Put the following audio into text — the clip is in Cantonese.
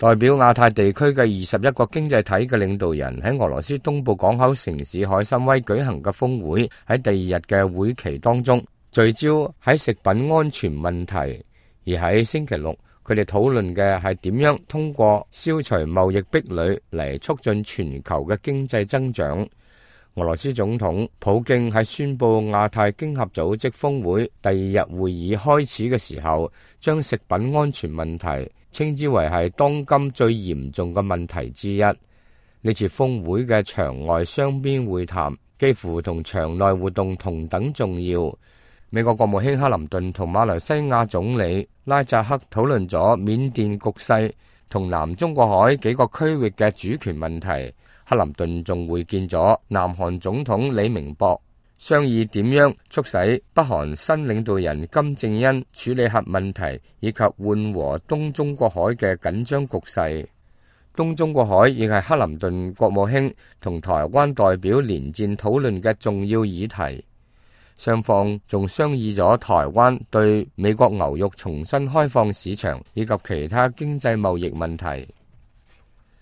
代表亞太地區嘅21個經濟體嘅領導人喺俄羅斯東部港口城市海參崴舉行嘅峰會，喺第二日嘅會期當中，聚焦喺食品安全問題。而喺星期六，佢哋討論嘅係點樣通過消除貿易壁壘嚟促進全球嘅經濟增長。俄羅斯總統普京喺宣布亞太經合組織峰會第二日會議開始嘅時候，將食品安全問題稱之為係當今最嚴重嘅問題之一。呢次峰會嘅場外雙邊會談幾乎同場內活動同等重要。美國國務卿克林頓同馬來西亞總理拉扎克討論咗緬甸局勢同南中國海幾個區域嘅主權問題。克林頓仲會見咗南韓總統李明博，商議點樣促使北韓新領導人金正恩處理核問題，以及緩和東中國海嘅緊張局勢。東中國海亦係克林頓國務卿同台灣代表連戰討論嘅重要議題。雙方仲商議咗台灣對美國牛肉重新開放市場以及其他經濟貿易問題。